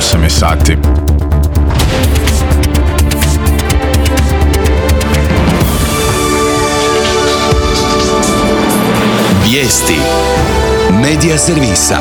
8 je sati. Vijesti Medija servisa.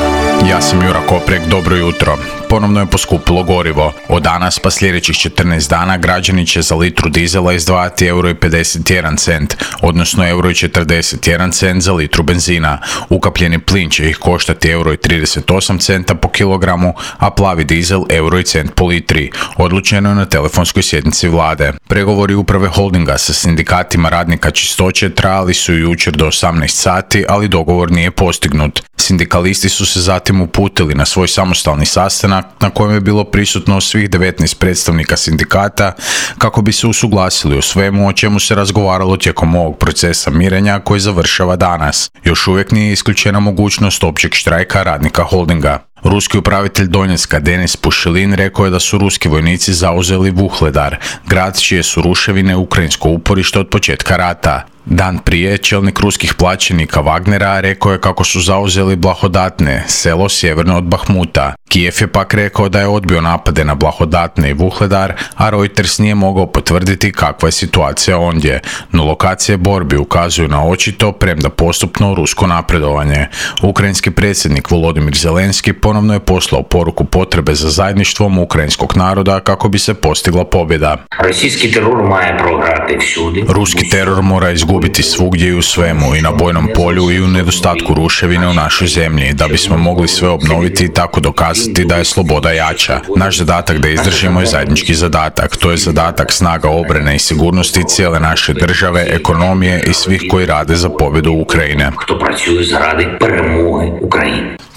Ja sam Jura Koprek, dobro jutro. Ponovno je poskupilo gorivo. Od danas pa sljedećih 14 dana građani će za litru dizela izdvajati €1,51, odnosno €1,41 za litru benzina. Ukapljeni plin će ih koštati €1,38 po kilogramu, a plavi dizel €1 po litri. Odlučeno je na telefonskoj sjednici vlade. Pregovori uprave holdinga sa sindikatima radnika čistoće trajali su jučer do 18 sati, ali dogovor nije postignut. Sindikalisti su se zatim uputili na svoj samostalni sastanak na kojem je bilo prisutno svih 19 predstavnika sindikata kako bi se usuglasili o svemu o čemu se razgovaralo tijekom ovog procesa mirenja koji završava danas. Još uvijek nije isključena mogućnost općeg štrajka radnika holdinga. Ruski upravitelj Donjecka Denis Pušilin rekao je da su ruski vojnici zauzeli Vuhledar, grad čije su ruševine ukrajinsko uporište od početka rata. Dan prije, čelnik ruskih plaćenika Wagnera rekao je kako su zauzeli Blahodatne, selo sjeverno od Bahmuta. Kijev je pak rekao da je odbio napade na Blahodatne i Vuhledar, a Reuters nije mogao potvrditi kakva je situacija ondje. No lokacije borbi ukazuju na očito, premda postupno, rusko napredovanje. Ukrajinski predsjednik Volodymyr Zelenski ponovno je poslao poruku potrebe za zajedništvom ukrajinskog naroda kako bi se postigla pobjeda. Ruski teror mora izgubiti svugdje i u svemu, i na bojnom polju i u nedostatku ruševine u našoj zemlji, da bismo mogli sve obnoviti i tako dokazati da je sloboda jača. Naš zadatak da izdržimo je zajednički zadatak. To je zadatak snaga obrane i sigurnosti cijele naše države, ekonomije i svih koji rade za pobjedu Ukrajine.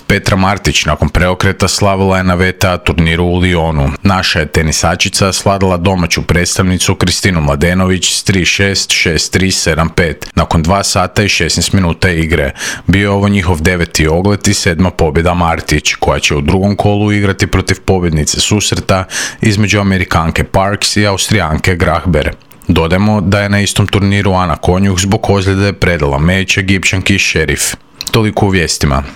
Petra Martić nakon preokreta slavila je na VTA turniru u Lyonu. Naša je tenisačica sladala domaću predstavnicu Kristinu Mladenović s 3-6, 6-3, 7-5 nakon 2 sata i 16 minuta igre. Bio je ovo njihov 9. oglet i 7. pobjeda Martić, koja će u drugom kolu igrati protiv pobjednice susreta između Amerikanke Parks i Austrijanke Grachber. Dodajmo da je na istom turniru Ana Konjuh zbog ozljede predala meč Egipćanki Šerif. Toliko u vijestima.